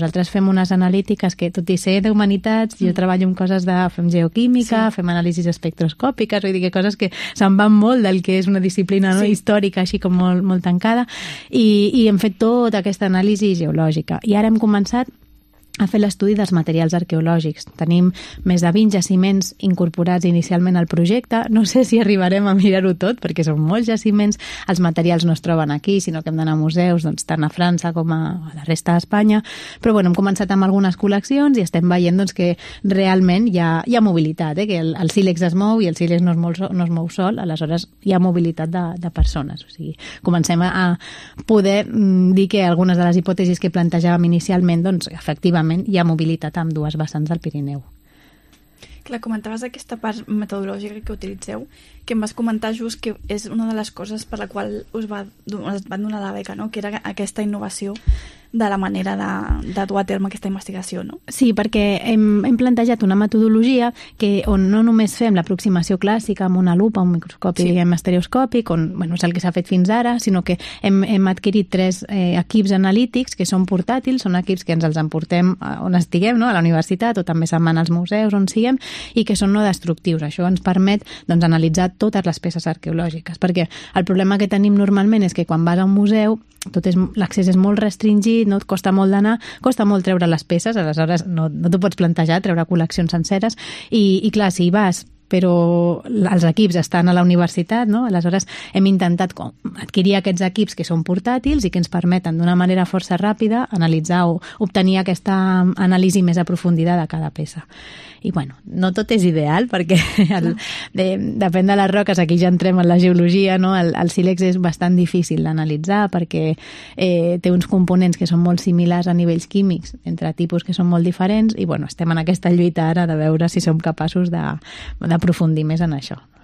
Nosaltres fem unes analítiques que, tot i ser d'humanitats, jo treballo en coses fem geoquímica, fem anàlisis espectroscòpiques, vull dir que coses que se'n van molt del que és una disciplina històrica, així com molt tancada, i hem fet tota aquesta anàlisi geològica. I ara hem començat a fer l'estudi dels materials arqueològics. Tenim més de 20 jaciments incorporats inicialment al projecte. No sé si arribarem a mirar-ho tot, perquè són molts jaciments. Els materials no es troben aquí, sinó que hem d'anar a museus, doncs, tant a França com a la resta d'Espanya. Però bueno, hem començat amb algunes col·leccions i estem veient doncs, que realment hi ha mobilitat, que el sílex es mou i el sílex no es mou sol, aleshores hi ha mobilitat de persones. O sigui, comencem a poder dir que algunes de les hipòtesis que plantejàvem inicialment, doncs, efectivament, hi ha mobilitat amb dues vessants del Pirineu. Clar, comentaves aquesta part metodològica que utilitzeu, que em vas comentar just que és una de les coses per la qual us van donar la beca, no? Que era aquesta innovació de la manera de dur a terme aquesta investigació, no? Sí, perquè hem plantejat una metodologia on no només fem l'aproximació clàssica amb una lupa, un microscopi diguem estereoscòpic, on és el que s'ha fet fins ara, sinó que hem adquirit 3 equips analítics que són portàtils, són equips que ens els emportem on estiguem, no? A la universitat o també se'n van als museus on siguem, i que són no destructius. Això ens permet doncs, analitzar totes les peces arqueològiques, perquè el problema que tenim normalment és que quan vas a un museu l'accés és molt restringit, no et costa molt d'anar, costa molt treure les peces, aleshores no t'ho pots plantejar, treure col·leccions senceres, i clar, si hi vas però els equips estan a la universitat, no? Aleshores hem intentat adquirir aquests equips que són portàtils i que ens permeten d'una manera força ràpida analitzar o obtenir aquesta anàlisi més aprofundida de cada peça. I bueno, no tot és ideal perquè depèn de les roques, aquí ja entrem en la geologia, no? El sílex és bastant difícil d'analitzar perquè té uns components que són molt similars a nivells químics entre tipus que són molt diferents i bueno, estem en aquesta lluita ara de veure si som capaços d'aprofundir més en això.